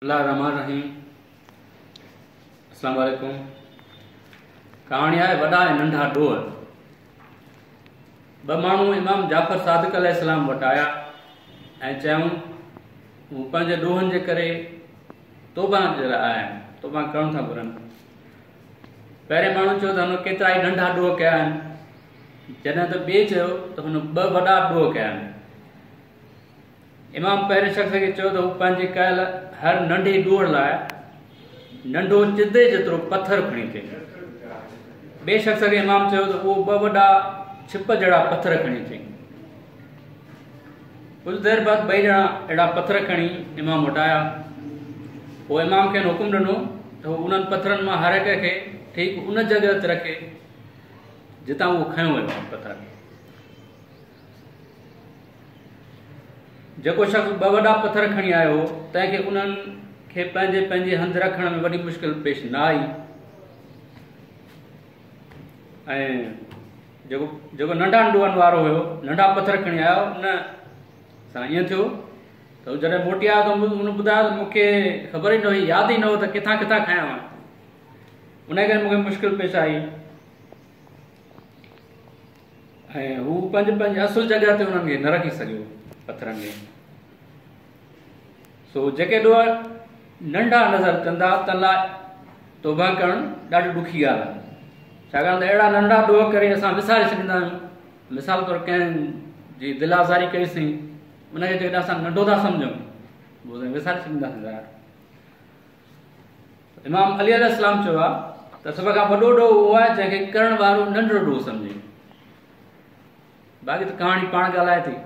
الله الرحمٰن الرحيم السلام عليڪم ڪهاڻي آهي وڏا ۽ ننڍا ڏوهه. ٻه ماڻهو امام جعفر صادق عليه السلام وٽ آيا ۽ چيائون هو پنهنجي ڏوهن جي ڪري توبه جي لاء آيا آهن، توبه ڪرڻ ٿا گهرن. پهرين ماڻهو چيو ته هن ڪيترا ئي ننڍا ڏوهه ڪيا آهن، جڏهن ته ٻئي چيو ته هن ٻه وڏا ڏوهه ڪيا آهن. امام پهرين شخص کي چيو ته هو پنهنجي ڪيل هر ننڍي ڏوهه لاء ننڍو چدي جيترو پٿر کڻي اچي. ٻئي شخص کي امام چيو ته اهو ٻه وڏا ڇپ جهڙا پٿر کڻي اچي. ڪجهه دير بعد ٻئي ڄڻا اهڙا پٿر کڻي امام وٽ آيا. پوء امام کين حڪم ڏنو ته هو انهن پٿرن مان هر هڪ کي ٺيڪ ان جڳهه تي رکي جتان اهو کنيو ويو آهي پٿر. جيڪو شخص ٻه وڏا پٿر کڻي آيو هو، تنهن کي انهن کي پنهنجي پنهنجي هنڌ رکڻ ۾ وڏي مشڪل پيش نه آئي ۽ جيڪو جيڪو ننڍن ڏوهن وارو هيو، ننڍا پٿر کڻي آيو، ان سان ائين ٿيو ته هو جڏهن موٽي آيو ته ان ٻڌايو ته مون کي خبر ئي نه هئي، ياد ئي نه هو ته ڪٿان ڪٿان کنيا هئا، ان ڪري مون کي مشڪل پيش آئي. ۽ هو پنهنجي پنهنجي اصل جڳهه تي انهن کي نه رکي سگهيو پٿرن کي. سو جيڪي ڏوهه ننڍا نظر اچن ٿا تن لاء توبه ڪرڻ ڏاڍي ڏکي ڳالهه آهي، ڇاڪاڻ ته اهڙا ننڍا ڏوهه ڪري اسان وساري ڇڏيندا آهيون. مثال طور ڪنهن جي دل آزاري ڪئيسين، ان کي جيڪڏهن اسان ننڍو ٿا سمجهون پوء وساري ڇڏينداسين ظاهر. امام علي عليه السلام چيو آهي ته سڀ کان وڏو ڏوهه اهو آهي جنهن کي ڪرڻ وارو ننڍڙو ڏوهه سمجهي. باقي ته ڪهاڻي پاڻ ڳالهائي ٿي.